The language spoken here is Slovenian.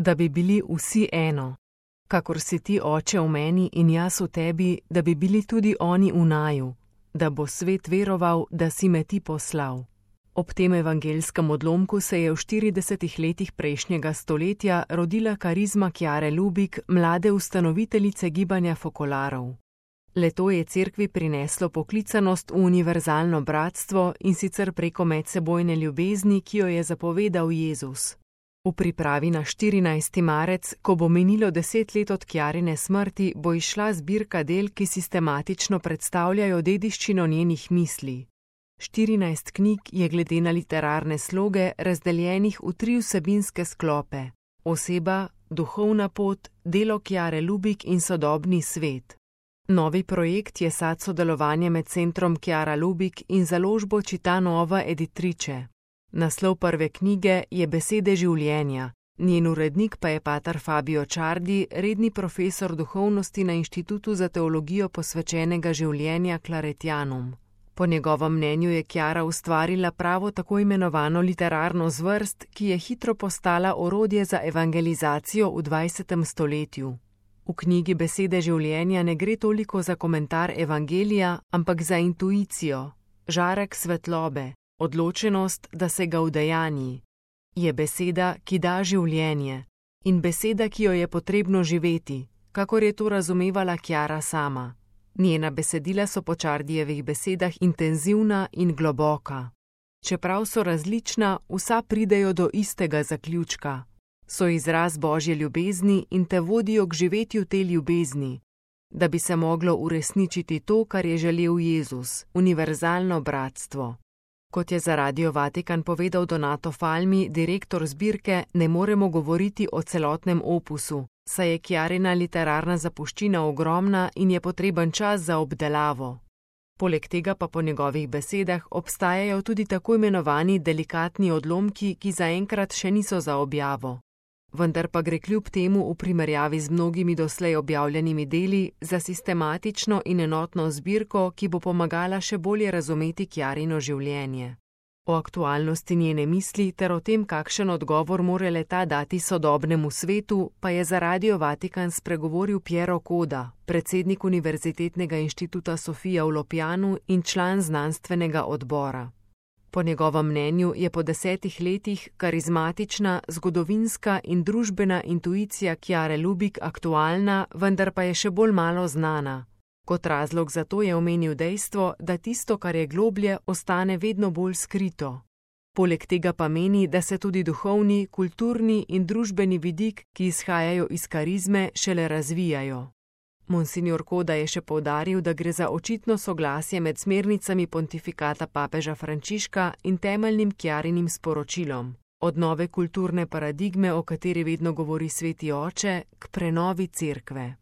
Da bi bili vsi eno, kakor si ti, Oče, v meni in jaz v tebi, da bi bili tudi oni v naju, da bo svet veroval, da si me ti poslal. Ob tem evangelskem odlomku se je v 40 letih prejšnjega stoletja rodila karizma Chiare Lubich, mlade ustanoviteljice gibanja Fokolarov. Le-to je cerkvi prineslo poklicanost v univerzalno bratstvo, in sicer preko medsebojne ljubezni, ki jo je zapovedal Jezus. V pripravi na 14. marec, ko bo minilo 10 let od Chiarine smrti, bo izšla zbirka del, ki sistematično predstavljajo dediščino njenih misli. 14 knjig je glede na literarne sloge razdeljenih v 3 vsebinske sklope: oseba, duhovna pot, delo Chiare Lubich in sodobni svet. Novi projekt je sad sodelovanja med Centrom Chiara Lubich in založbo Città Editrice. Naslov prve knjige je Besede življenja, njen urednik pa je pater Fabio Ciardi, redni profesor duhovnosti na Inštitutu za teologijo posvečenega življenja Claretianum. Po njegovem mnenju je Chiara ustvarila pravo tako imenovano literarno zvrst, ki je hitro postala orodje za evangelizacijo v 20. stoletju. V knjigi Besede življenja ne gre toliko za komentar evangelija, ampak za intuicijo, žarek svetlobe, odločenost, da se ga udejanji. Je beseda, ki da življenje, in beseda, ki jo je potrebno živeti, kakor je to razumevala Chiara sama. Njena besedila so po Ciardijevih besedah intenzivna in globoka. Čeprav so različna, vsa pridejo do istega zaključka. So izraz Božje ljubezni in te vodijo k živetju te ljubezni, da bi se moglo uresničiti to, kar je želel Jezus, univerzalno bratstvo. Kot je za Radio Vatikan povedal Donato Falmi, direktor zbirke, ne moremo govoriti o celotnem opusu, saj je Chiarina literarna zapuščina ogromna in je potreben čas za obdelavo. Poleg tega pa po njegovih besedah obstajajo tudi tako imenovani delikatni odlomki, ki zaenkrat še niso za objavo. Vendar pa gre kljub temu v primerjavi z mnogimi doslej objavljenimi deli za sistematično in enotno zbirko, ki bo pomagala še bolje razumeti Chiarino življenje. O aktualnosti njene misli ter o tem, kakšen odgovor mora le-ta dati sodobnemu svetu, pa je za Radio Vatikan spregovoril Piero Coda, predsednik Univerzitetnega inštituta Sofia v Lopjanu in član znanstvenega odbora. Po njegovem mnenju je po 10 letih karizmatična, zgodovinska in družbena intuicija Chiare Lubich aktualna, vendar pa je še bolj malo znana. Kot razlog za to je omenil dejstvo, da tisto, kar je globlje, ostane vedno bolj skrito. Poleg tega pa meni, da se tudi duhovni, kulturni in družbeni vidik, ki izhajajo iz karizme, šele razvijajo. Monsignor Coda je še poudaril, da gre za očitno soglasje med smernicami pontifikata papeža Frančiška in temeljnim Chiarinim sporočilom, od nove kulturne paradigme, o kateri vedno govori Sveti Oče, k prenovi cerkve.